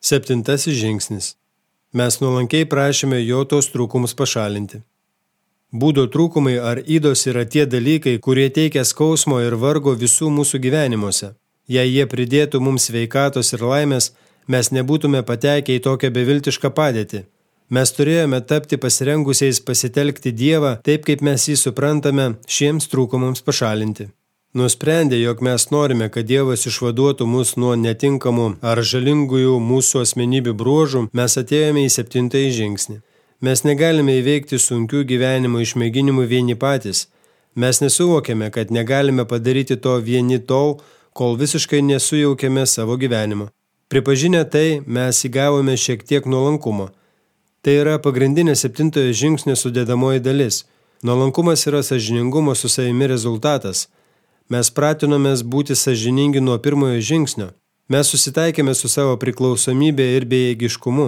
7 žingsnis. Mes nuolankiai prašėme jo tos trūkumus pašalinti. Būdo trūkumai ar ydos yra tie dalykai, kurie teikia skausmo ir vargo visų mūsų gyvenimuose. Jei jie pridėtų mums sveikatos ir laimės, mes nebūtume patekę į tokią beviltišką padėtį. Mes turėjome tapti pasirengusiais pasitelkti Dievą taip, kaip mes jį suprantame, šiems trūkumams pašalinti. Nusprendę, jog mes norime, kad Dievas išvaduotų mus nuo netinkamų ar žalingųjų mūsų asmenybių bruožų, mes atėjome į 7 žingsnį. Mes negalime įveikti sunkių gyvenimo išmėginimų vieni patys. Mes nesuvokėme, kad negalime padaryti to vieni tol, kol visiškai nesujaukėme savo gyvenimo. Pripažinę tai, mes įgavome šiek tiek nuolankumo. Tai yra pagrindinė 7 žingsnio sudėdamoji dalis. Nuolankumas yra sąžiningumo su savimi rezultatas. Mes pratinomės būti sąžiningi nuo 1 žingsnio. Mes susitaikėme su savo priklausomybė ir bejėgiškumu.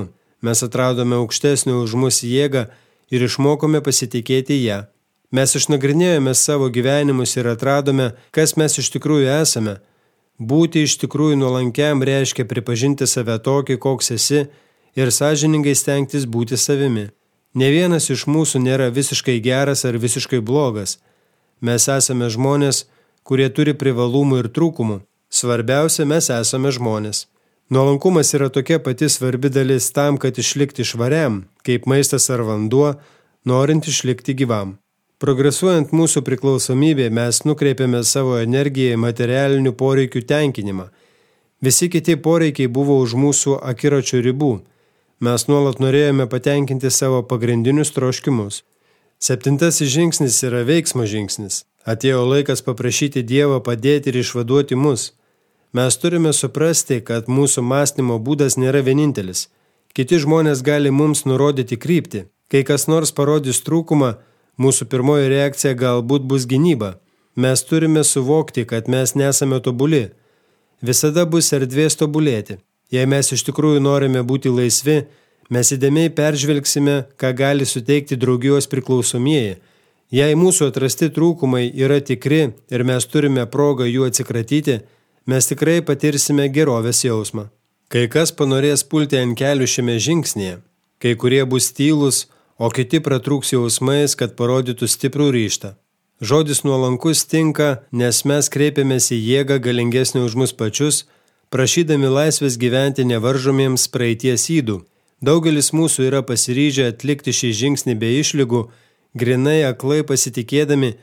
Mes atradome aukštesnį už mus jėgą ir išmokome pasitikėti ją. Mes išnagrinėjome savo gyvenimus ir atradome, kas mes iš tikrųjų esame. Būti iš tikrųjų nuolankiam reiškia pripažinti save tokį, koks esi, ir sąžiningai stengtis būti savimi. Ne vienas iš mūsų nėra visiškai geras ar visiškai blogas. Mes esame žmonės, kurie turi privalumų ir trūkumų. Svarbiausia, mes esame žmonės. Nuolankumas yra tokia pati svarbi dalis tam, kad išlikti švariam, kaip maistas ar vanduo, norint išlikti gyvam. Progresuojant mūsų priklausomybė, mes nukreipiame savo energiją į materialinių poreikių tenkinimą. Visi kiti poreikiai buvo už mūsų akiračio ribų. Mes nuolat norėjome patenkinti savo pagrindinius troškimus. 7 žingsnis yra veiksmo žingsnis. Atėjo laikas paprašyti Dievą padėti ir išvaduoti mus. Mes turime suprasti, kad mūsų mąstymo būdas nėra vienintelis. Kiti žmonės gali mums nurodyti kryptį. Kai kas nors parodys trūkumą, mūsų pirmoji reakcija galbūt bus gynyba. Mes turime suvokti, kad mes nesame tobuli. Visada bus erdvės tobulėti. Jei mes iš tikrųjų norime būti laisvi, mes įdėmiai peržvelgsime, ką gali suteikti draugijos priklausomieji. Jei mūsų atrasti trūkumai yra tikri ir mes turime progą jų atsikratyti, mes tikrai patirsime gerovės jausmą. Kai kas panorės pulti ant kelių šiame žingsnėje, kai kurie bus tylūs, o kiti pratrūks jausmais, kad parodytų stiprų ryžtą. Žodis nuolankus tinka, nes mes kreipiamės į jėgą galingesnį už mus pačius, prašydami laisvės gyventi nevaržomiems praeities ydų. Daugelis mūsų yra pasiryžę atlikti šį žingsnį be išlygų, grinai aklai pasitikėdami,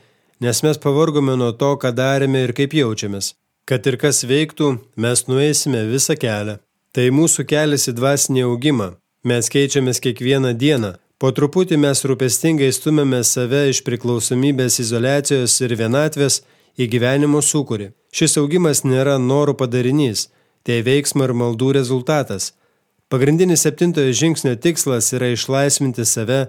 nes mes pavargome nuo to, ką darėme ir kaip jaučiamės. Kad ir kas veiktų, mes nueisime visą kelią. Tai mūsų kelias į dvasinį augimą. Mes keičiamės kiekvieną dieną. Po truputį mes rūpestingai stumėme save iš priklausomybės izoliacijos ir vienatvės į gyvenimo sūkurį. Šis augimas nėra norų padarinys, tai veiksmo ir maldų rezultatas. Pagrindinis 7 žingsnio tikslas yra išlaisvinti save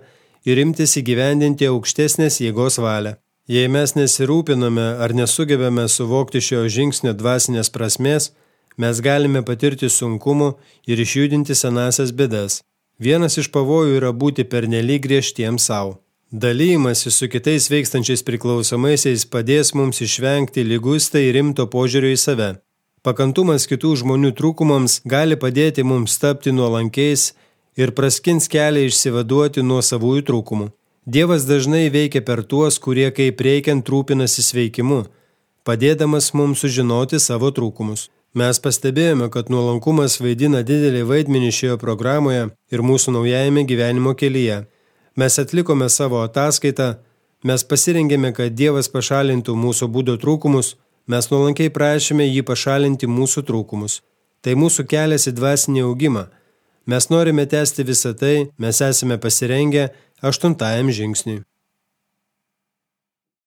ir imtis įgyvendinti aukštesnės jėgos valią. Jei mes nesirūpiname ar nesugebame suvokti šio žingsnio dvasinės prasmės, mes galime patirti sunkumų ir išjudinti senasias bėdas. Vienas iš pavojų yra būti pernelyg griežtiems savo. Dalymasis su kitais veikstančiais priklausomaisiais padės mums išvengti liguistai rimto požiūrio į save. Pakantumas kitų žmonių trūkumams gali padėti mums tapti nuolankiais ir praskins kelią išsivaduoti nuo savųjų trūkumų. Dievas dažnai veikia per tuos, kurie kaip reikiant rūpinasi sveikimu, padėdamas mums sužinoti savo trūkumus. Mes pastebėjome, kad nuolankumas vaidina didelį vaidmenį šioje programoje ir mūsų naujajame gyvenimo kelyje. Mes atlikome savo ataskaitą, mes pasirengėme, kad Dievas pašalintų mūsų būdo trūkumus, mes nuolankiai prašėme jį pašalinti mūsų trūkumus. Tai mūsų kelias į dvasinį augimą. Mes norime tęsti visą tai, mes esame pasirengę 8 žingsniui.